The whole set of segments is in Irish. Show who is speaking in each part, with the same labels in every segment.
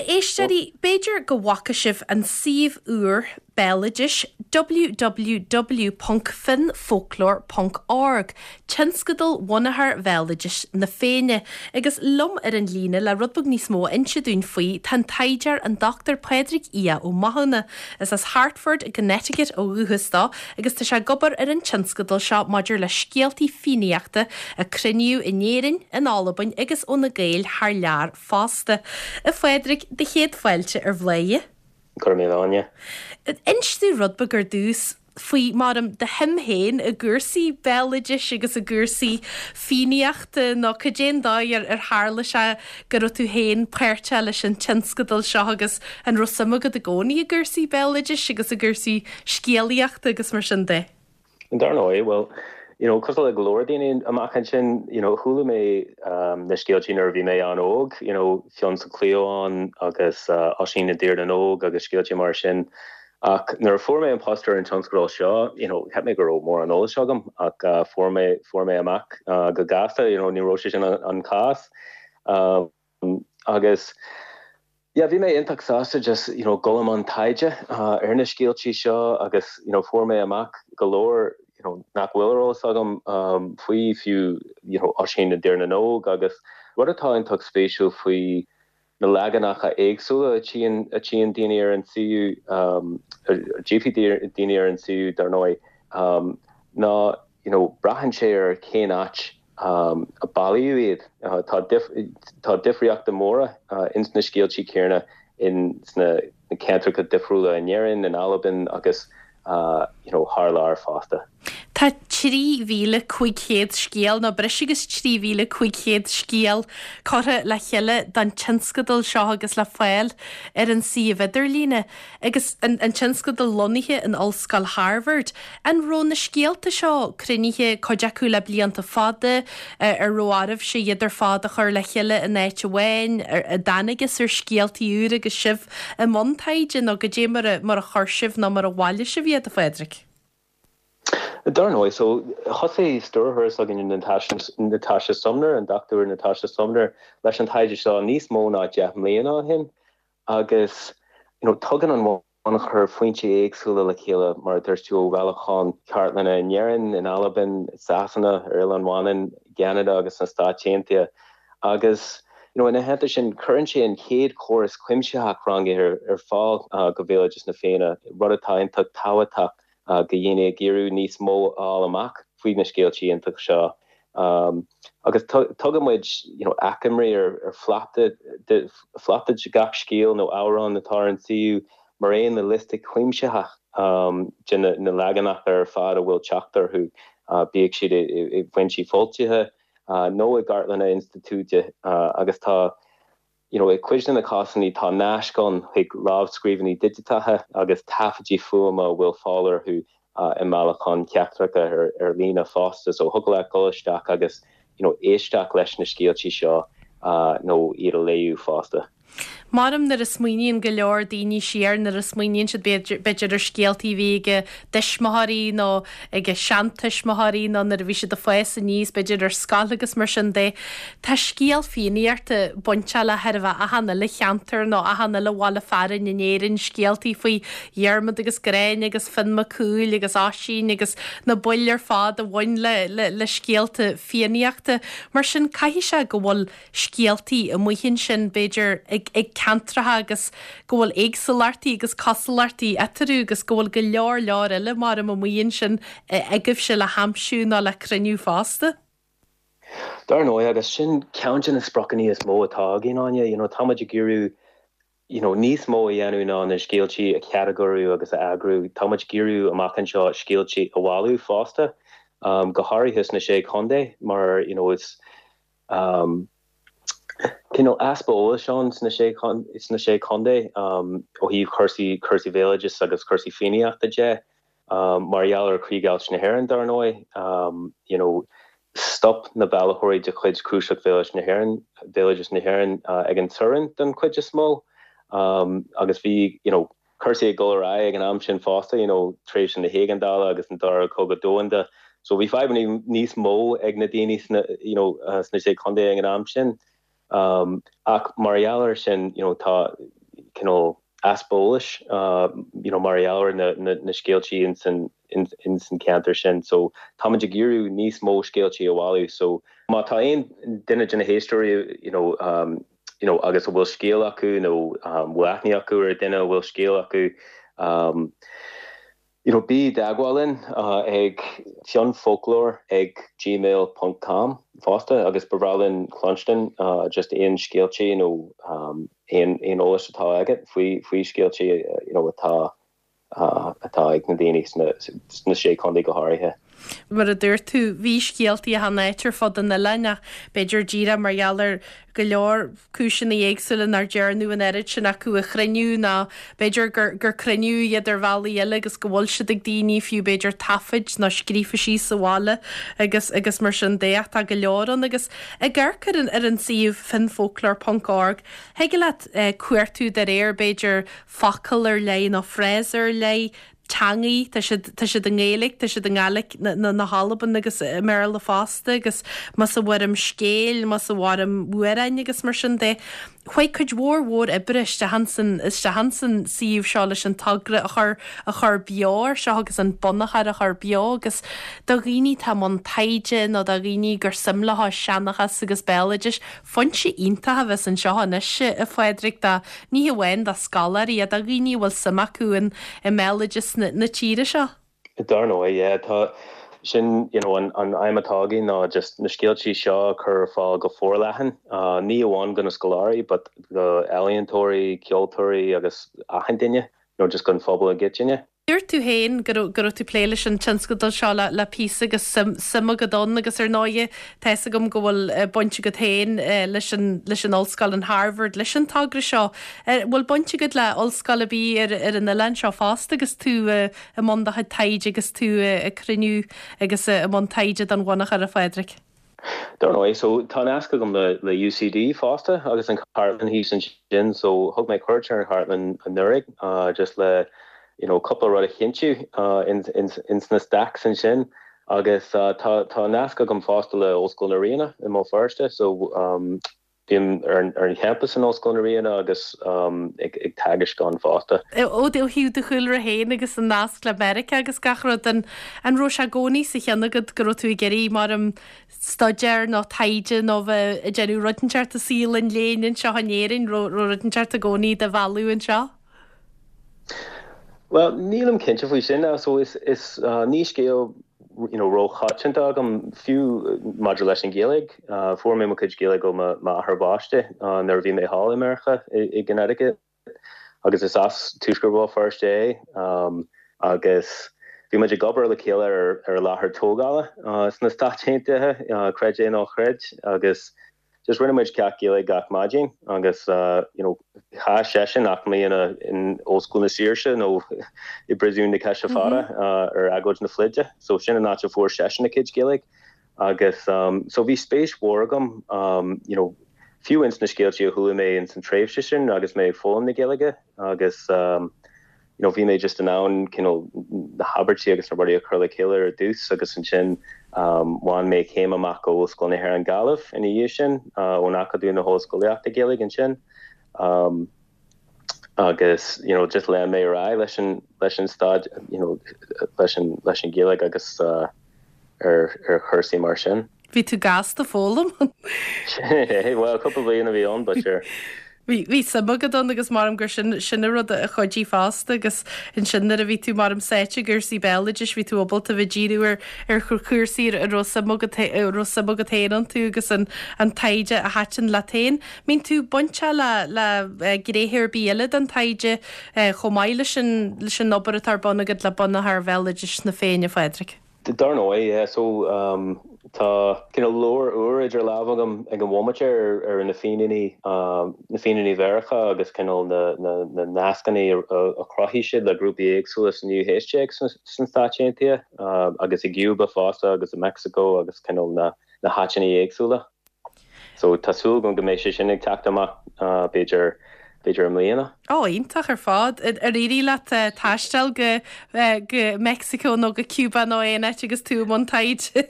Speaker 1: éisteoirí, b'fhéidir go bhfaca sibh an suíomh úr béaloidis www.finnfolklore.org, tionscadal Bhunachar Bhéaloidis na Féinne, agus liom ar an líne le rud beag níos mó a inse dúinn faoi tá an taighdeoir an Dr Pádraig Aodh Ó Mathúna. Is as Hartford i gConnecticut ó dhúchas dó agus tá sé ag obair ar an tionscadal seo maidir le scéaltaí Fiannaíochta a cruinníodh in Éirinn, in Albain agus ó na Gaeil thar lear fosta. A Phádraig, do chéad fáilte ar Bhladhaire.
Speaker 2: Go raibh míle, Áine.
Speaker 1: Inis dúinn rud beag ar dtús faoi, maram, do shuim féin i gcúrsaí béaloidis agus i gcúrsaí Fiannaíochta nó cad é an dóigh ar ar tharla sé go raibh tú féin páirteach leis an tionscadal seo agus an raibh suim agat i gcónaí i gcúrsaí béaloidis agus i gcúrsaí scéalaíochta agus mar sin de?
Speaker 2: Dar ndóigh, bhuel, you know, cosúil le go leor daoine amach ansin, you know, chuala mé na scéaltaí nuair a bhí mé an-óg, you know, Fionn sa Chliabhán agus Oisín i dTír na nÓg agus scéaltaí mar sin. Ach nuair a fuair mé an post ar an tionscadal seo, you know, cheap mé go raibh mórán eolais agam ach fuair mé, fuair mé amach go gasta, you know, ní raibh sé sin an cás. Agus yeah, bhí mé iontach sásta just, you know, dul i mbun taighde ar na scéaltaí seo agus, you know, fuair mé amach go leor, you know, nach bhfuil ar eolas agam faoi, fiú, you know, Oisín i dTír na nÓg agus rud atá iontach spéisiúil faoi na leaganacha éagsúla a tchíonn, a tchíonn daoine ar an suíomh, a dtchífidh daoine ar an suíomh, dar ndóigh, ná, you know, braitheann sé ar cén áit a bailíodh iad. Tá tá difríochtaí móra ins na scéaltaí céanna in sna ceantracha difriúla in Éirinn, in Albain agus you know thar lear fosta.
Speaker 1: Tá 3,500 scéal, nó breis agus 3,500 scéal curtha le chéile don tionscadal seo agus le fáil ar an suíomh idirlíne. Agus an tionscadal lonnaithe in Ollscoil Harvard, an raibh na scéalta seo cruinnithe, cuid acu le blianta fada, ar raibh oraibhse iad ar fad a chur le chéile in áit amháin, ar dtángthas ar scéaltaí úra agus sibh i mbun taighde, nó goidé mar a mar a chuir sibh nó mar a bhailigh sibh iad, a Phádraig?
Speaker 2: Dar ndóigh, so thosaigh stiúrthóir s'againne Natasha Sumner, an Dr Natasha Sumner, leis an taighde seo níos mó ná 10 mbliana ó shin. Agus you know tugann an bunachar foinsí éagsúla le chéile, mar a dúirt tú, ó bhailiúcháin chartlainne in Éirinn, in Albain, i Sasana, ar Oileán Mhanann, i gCeanada agus sna Stáit Aontaithe. Agus you know ina theannta sin, cuireann sé an chéad chóras cuimsitheach rangaithe ar fáil do bhéaloideas na Féinne, rud atá iontach tábhachtach do dhaoine ag iarraidh níos mó a fháil amach faoi na scéalta iontacha seo. Agus tugann muid you know achoimrí ar phlota de phlota de gach scéal nó amhrán atá ar an suíomh, mar aon le liosta cuimsitheach de na leaganacha ar fad a bhfuil teacht orthu, bíodh siad i bhfoinsí foilsithe nó i gcartlanna institiúide. Agus tá You know, i gcuid de na cásanna tá naisc ann chuig lámhscríbhinní digiteacha agus taifidí fuaime a bhfuil fáil orthu i mbailiúcháin sheachtracha ar líne fosta. So thiocfadh leat dul isteach agus you know éisteacht leis na scéaltaí seo nó iad a léamh fosta.
Speaker 1: Maram nuair a smaoiníonn go leor daoine siar, nuair a smaoiníonn siad b'fhéidir ar scéaltaí a bhí ag a dtuismitheoirí nó ag a seantuismitheoirí nó nuair a bhí siad ag fás aníos, b'fhéidir ar scoil agus mar sin de. Tá scéal Fiannaíochta bainteach le chóir a bheith achan uile cheantar nó achan uile bhaile fearainn in Éirinn, scéaltaí faoi Dhiarmaid agus Gráinne agus Fionn Mac Cumhaill agus Oisín agus na baill ar fad a bhain le le scéalta Fiannaíochta. Mar sin caithfidh sé go bhfuil scéaltaí amuigh ansin b'fhéidir ag ag ceantracha agus go bhfuil éagsúlachtaí agus cosúlachtaí eatarthu agus go bhfuil go leor leor eile maram amuigh ansin agaibhse le haimsiú nó le cruinniú fosta.
Speaker 2: Dar ndóigh, agus sin ceann de na spriocanna is mó atá againn, Áine, you know, tá muid ag iarraidh, you know, níos mó a dhéanamh ná na scéaltaí a chatagóiriú agus a eagrú. Tá muid ag iarraidh amach anseo scéaltaí a bhailiú fosta, go háirithe sna Sé Chontae mar, you know, is cineál easpa eolais ann sna Sé sna Sé Chontae ó thaobh cúrsaí cúrsaí bhéaloidis agus cúrsaí Fiannaíochta de. Mar gheall ar chríochdheighilt na hÉireann, dar ndóigh, you know, stop na bailitheoirí de chuid Chnuasach Bhéaloidis na hÉireann, Bhéaloideas na hÉireann ag an teorainn don chuid is mó agus bhí, you know, cúrsaí ag dul ar aghaidh ag an am sin fosta, you know, tréimhse na héigeandála agus an Dara Cogadh Domhanda. So bhí fadhbanna níos mó ag na daoine sna, you know, sna Sé Chontae ag an am sin. Ach mar gheall air sin, you know, tá. cineál easpa eolais you know mar gheall ar na na scéaltaí ins an ins an ceantar sin so táimid ag iarraidh níos mó scéaltaí a bhailiú so má tá aon duine de na héisteoirí you know you know agus a bhfuil scéal acu nó bhfuil aithne acu ar duine a bhfuil scéal acu you know bí i dteagmháil linn ag fionnfolklore ag gmail ponc com fosta agus ba bhreá linn cluinstin just aon scéaltaí nó aon aon eolas atá agat faoi faoi scéaltaí you know atá atá ag na daoine sna sna Sé Chontae go háirithe.
Speaker 1: Mar a dúirt tú, bhí scéaltaí achan áit ar fud an oileáin ach b'fhéidir díreach mar gheall ar go leor cúiseanna éagsúla nár dearnadh an oiread sin acu a chruinniú nó b'fhéidir gur gur cruinníodh iad ar bhealaí eile agus go bhfuil siad ag daoine, fiú b'fhéidir taifid nó scríofa síos sa bhaile agus agus mar sin de ach tá go leor ann agus ag amharc ar an ar an suíomh finnfolklore ponc org thig leat cuartú de réir b'fhéidir focal ar leith nó frása ar leith teangaí, tá siad, tá siad i nGaeilge, tá siad i nGàidhlig na, na hAlban agus i mBéarla fosta agus más i bhfoirm scéil, más i bhfoirm amhráin agus mar sin de. Chuaigh cuid mhór mhór oibre isteach ansan, isteach ansan suíomh seo leis an togra a chur, a chur beo air seo agus an bunachar a chur beo agus do dhaoine atá i mbun taighde nó do dhaoine gur suim leo seanchas agus béaloidis, Foinse iontach a bheas anseo anois, a Phádraig, do, ní hamháin do scoláirí, ach do dhaoine a bhfuil suim acu in, i mbéaloideas na, na tíre seo.
Speaker 2: Dar ndóigh, yeah, tá, sin, you know, an, an aidhm atá againn ná just na scéaltaí seo a chur ar fáil go forleathan, ní amháin do na scoláirí but do ealaíontóirí, ceoltóirí agus achan duine, you know, just don phobal i gcoitinne.
Speaker 1: Dúirt tú féin go raibh go raibh tú ag plé leis an tionscadal seo le le píosa agus suim suim agat ann agus ar ndóighe tá fhios agam go bhfuil baint agat féin leis an leis an ollscoil in Harvard leis an togra seo. Bhfuil baint agat le ollscoil ar bith ar ar an oileán seo fosta agus tú i mbun do chuid taighde agus tú ag cruinniú agus i mbun taighde don bhunachar a Phádraig?
Speaker 2: Dar ndóigh, so tá nasc agam le le UCD fosta agus an chartlann thíos ansin so thug mé cuairt ar an chartlann anuraidh just le you know cúpla rud a chinntiú ins ins ins na stacks ansin agus tá tá nasc agam fosta le Ollscoil na Ríona i mBéal Feirste so Bím ar an champas in Ollscoil na Ríona agus ag teagasc ann fosta.
Speaker 1: Ó thaobh do chúlra féin agus an nasc le Meiriceá agus gach rud, an raibh sé i gcónaí sa cheann agat go raibh tú ag iarraidh, mar em, staidéar nó taighde nó bheith ag déanamh rud inteacht i saol an léinn anseo in Éirinn, raibh rud inteacht i gcónaí do mhealladh anseo?
Speaker 2: Bhuel, nílim cinnte faoi sin. So is, is, ní scéal you know róchoitianta agam, fiú maidir leis an Ghaeilge. Fuair mé mo chuid Gaeilge ó m'athair baiste nuair a bhí mé thall i Meiriceá i gConnecticut agus is as Tuaisceart Bhéal Feirste é agus bhí muid ag obair le chéile ar ar láthair tógála sna Stáit Aontaithe, creid é nó ná creid, agus Just rinne muid ceacht Gaeilge gach maidin agus you know chaith seisean 8 mbliana in Ollscoil na Saoirse nó i bPríosún na Coise Fada ar agóid na pluide so sin an áit a fuair seisean a chuid Gaeilge agus so bhí spéis mhór agam you know fiú ins na scéaltaí a chuala mé ins an tréimhse sin agus mé ag foghlaim na Gaeilge agus you know bhí mé just in ann cineál na habairtí agus na rudaí a chur le chéile ar dtús agus ansin bhain mé céim amach ó Ollscoil na hÉireann Gaillimh ina dhiaidh sin, ón Acadamh na hOllscolaíochta Gaeilge ansin agus you know just lean mé ar aghaidh leis an leis an staid you know leis an leis an Ghaeilge agus ar ar chúrsaí mar sin.
Speaker 1: Bhí tú gasta ag foghlaim.
Speaker 2: Bhuel, cúpla bliain a bhí ann, but sure.
Speaker 1: Bhí, bhí suim agat ann agus maram gur sin, sin an rud a chuidigh fosta agus ansin nuair a bhí tú maram sáite i gcúrsaí béaloidis bhí tú ábalta bheith díriú ar, ar chúrsaí a raibh suim agat, a raibh suim agat féin iontu agus an, an taighde a thaitin leat féin. Mbíonn tú bainteach le, le gnéithe ar bith eile den taighde chomh maith leis an, leis an obair atá ar bun agat le bunachar bhéaloidis na Féinne, a Phádraig?
Speaker 2: Dar ndóigh, yeah. So, tá cineál leabhar úr idir lámha agam ag an bhomaite ar ar na Fíníní, na Fíníní Mheiriceá agus cineál na na na nascanna a chruthaigh siad le grúpaí éagsúla sa naoú haois déag sna Stáit Aontaithe agus i gCuba fosta agus i Meicsiceo agus cineál na na háiteanna éagsúla. So tá súil agam go mbeidh sé sin ag teacht amach b'fhéidir, b'fhéidir i mbliana.
Speaker 1: Ó, iontach ar fad. Ar éirigh leat taisteal go, go Meicsiceo nó go Cuba nó aon áit agus tú i mbun taighde?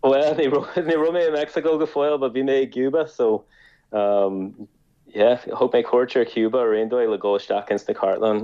Speaker 2: Bhuel, ní raibh, ní raibh mé i Meicsiceo go fóill but bhí mé i gCuba so. Yeah, thug mé cuairt ar Cuba ar aon dóigh le dhul isteach ins na cartlann,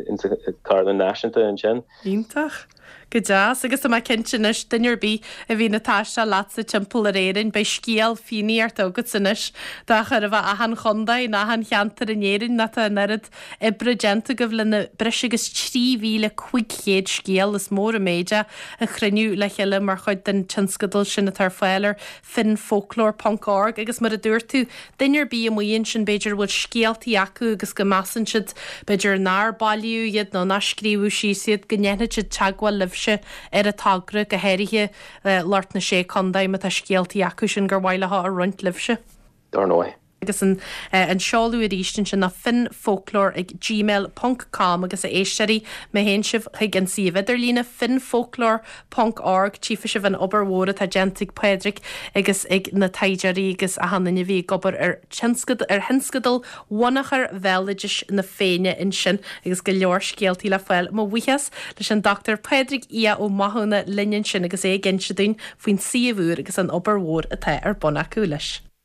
Speaker 2: ins an Chartlann Náisiúnta ansin.
Speaker 1: Iontach. Go deas. Agus tá mé cinnte anois, duine ar bith a bhíonn ag taisteal leatsa timpeall ar Éirinn, beidh scéal Fiannaíochta agatsa anois do chóir a bheith achan chontae nó achan cheantar in Éirinn nó tá an oiread oibre déanta agaibh le na breis agus 3,500 scéal, is mór an méid é, a chruinniú le chéile mar chuid den tionscadal sin atá ar fáil ar finnfolklore ponc org agus mar a dúirt tú, duine ar bith amuigh ansin b'fhéidir a bhfuil scéaltaí acu agus go measann siad b'fhéidir nár bailíodh iad nó nár scríobhadh síos iad, go ndéanfaidh siad teagmháil libhse ar an togra, go háirithe lucht na Sé Contae má tá scéaltaí acu sin gur mhaith leo a roinnt libhse.
Speaker 2: Dar ndóigh.
Speaker 1: Agus an seoladh arís ansin ná finnfolklore ag gmail ponc com agus a éisteoirí, má théann sibh chuig an suíomh idirlíne finnfolklore ponc org tchífidh sibh an obair mhór atá déanta ag Pádraig agus ag na taighdeoirí agus achan duine a bhí ag obair ar ar thionscadal Bhunachar Bhéaloidis na Féinne ansin agus go leor scéaltaí le fáil. Mo bhuíochas leis an Dr Pádraig Aodh Ó Mathúna linn ansin agus é ag inse dúinn faoin suíomh úr agus an obair mhór atá ar bun acu leis.